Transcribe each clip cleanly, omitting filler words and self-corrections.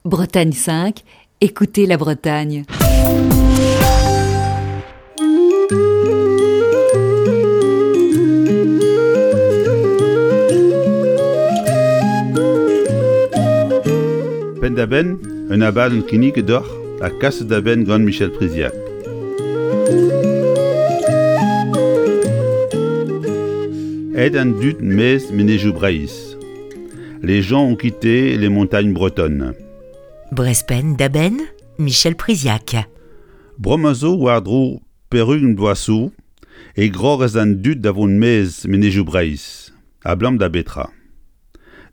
Bretagne 5, écoutez la Bretagne. Penn-da-benn, un abadenn kinniget deoc'h ha kaset da benn gant Michel Priziac. Aet an dud maez menezioù Breizh. Les gens ont quitté les montagnes bretonnes. Brezpenn da benn, Michel Priziac. Bremañ zo war-dro peurugent vloaz zo e grogas an dud da vont maez menezioù Breizh. Abalamour da betra?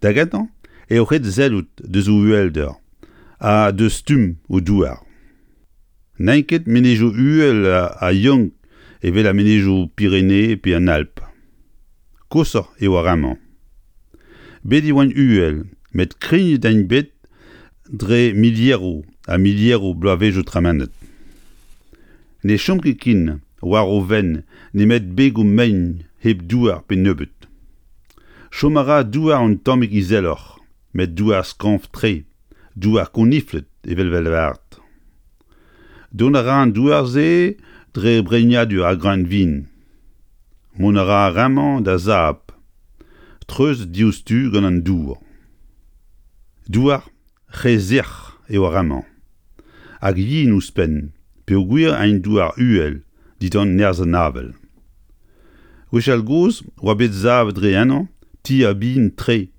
Da gentañ eo ret sellout deus o uhelder ha deus stumm o douar. N'int ket menezioù uhel ha young evel ar menezioù Pirene pe an Alp. Koshoc'h eo ar re-mañ. Bet e oant uhel met krignet int bet dre milieroù ha milieroù bloavezhioù tremenet. Ne chom ket ken war o fenn nemet begoù mein hep douar pe nebeut. Chom a ra douar un tammig izeloc'h met douar skañv-tre. Douar konifled evel 'vez lavaret. Dont a ra an douar-se dre breinadur ar greunvin. Mont a ra ar re-mañ da sab, treuzet diouzhtu gant an dour. Douar re sec'h eo ar re-mañ. Hag yen ouzhpenn peogwir int douar uhel dindan nerzh an avel. Gwechall-gozh 'oa bet savet dre ennañ tier bihan-tre.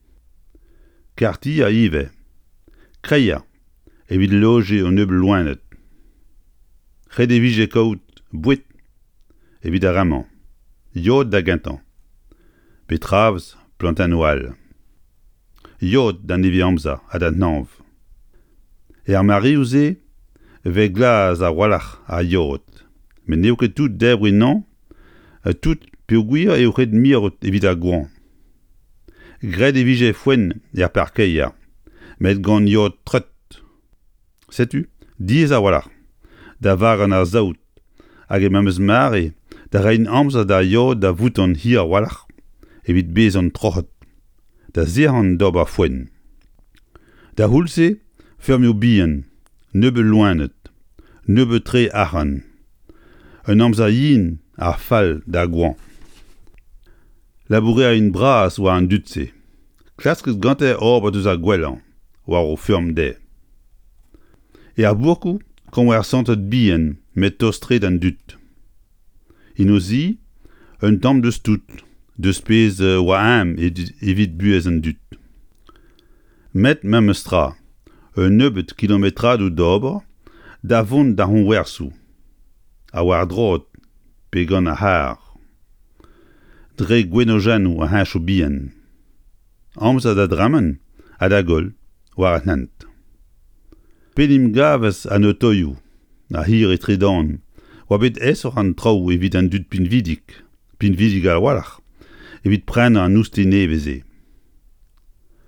Karrtier ivez, kreier evit lojiñ un nebeud loened. Ret e vije kaout boued evit ar re-mañ, yod da gentañ, betravez plantennoù all. Yod d'an nevez-amzer ha d'an hañv. Er mareoù-se e vez glas a-walc'h ar yod, met n'eo ket tout debriñ anezhañ tout peogwir eo ret mirout evit ar goañv. Graet e vije foenn er parkeier, met gant yod treut. Setu diaes a-walc'h da vagañ ar saout hag e memes mare da reiñ amzer d'ar yod da voutan hir a-walc'h evit bezañ troc'het, da sec'hañ d'ober foenn. D'ar c'houlz-se, feurmioù bihan, nebeut loened, nebeut-tre arc'hant. Un amzer yen ha fall d'ar goañv. Labourerien bras oa an dud-se, klasket gante ober deus ar gwellañ war o feurm dezhe. Er bourkoù koñversanted bihan met tost-tre d'an dud. En o zi, un tamm deus tout, deus pezh oa eñ evit buhez an dud. Met memes tra, un nebeud kilometradoù d'ober da vont d'ar c'hoñversoù, ha war-droad pe gant ar c'harr. Dre gwenojennoù an heñchoù bihan. Amzer da dremen ha da goll war an hent. P'en em gavas an otoioù, ar c'hirri tredan, oa bet aesoc'h an traoù evit an dud pinvidik, pinvidik a-walc'h, evit prenañ an oustilh nevez-se.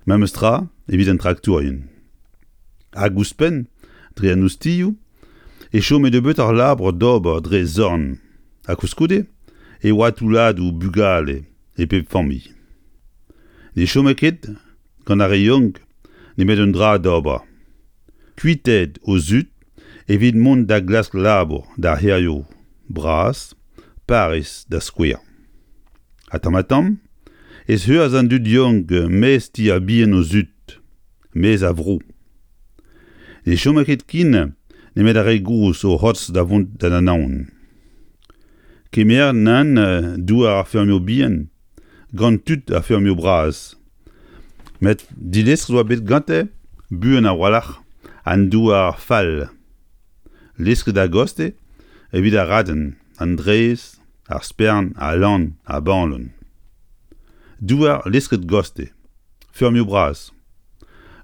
Memes tra evit an traktourien. Hag ouzhpenn, dre an oustilhoù, e chome nebeutoc'h labour d'ober dre zorn ha koulskoude e oa toulladoù bugale e pep familh. Ne chome ket gant ar re yaouank nemet un dra d'ober, kuitaet o zud evit mont da glask labour d'ar c'hêrioù bras, Pariz da skouer. Ha tamm-ha-tamm ez heuas an dud yaouank maez tier bihan o zud, maez a vro. Ne chome ket ken nemet ar re gozh o c'hortoz da vont d'an Anaon. Kemer nann douar ar feurmioù bihan gant tud ar feurmioù bras. Met dilestret oa bet gante buan a-walc'h an douar fall. Lesket a-gostez evit ar raden, an drez, ar spern, al lann, ar balan. Douar lesket gostez, feurmioù bras.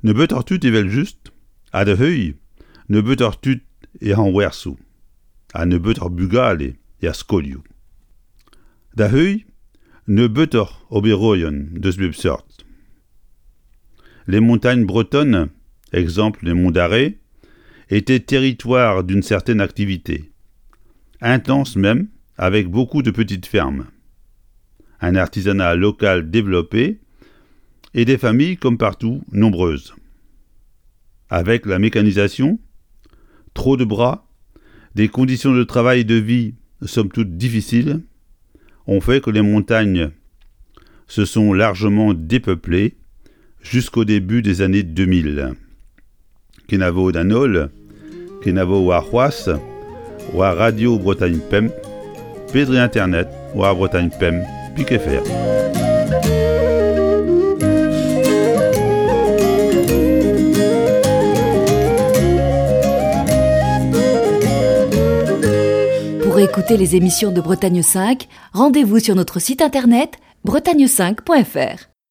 Nebeutoc'h tud evel-just, ha da heuilh nebeutoc'h tud er c'hañwerzoù ha nebeutoc'h bugale er skolioù. Da heuilh nebeutoc'h oberourion deus bep seurt. Les montagnes bretonnes, exemple les monts d'Arrée, étaient territoire d'une certaine activité, intense même, avec beaucoup de petites fermes. Un artisanat local développé et des familles, comme partout, nombreuses. Avec la mécanisation, trop de bras, des conditions de travail et de vie somme toute difficiles, ont fait que les montagnes se sont largement dépeuplées jusqu'au début des années 2000. Kenavo d'an holl, kenavo warc'hoazh, war Radio Bretagne Pemp, pe dre internet war Bretagne Pemp pik fr. Pour écouter les émissions de Bretagne 5, rendez-vous sur notre site internet bretagne5.fr.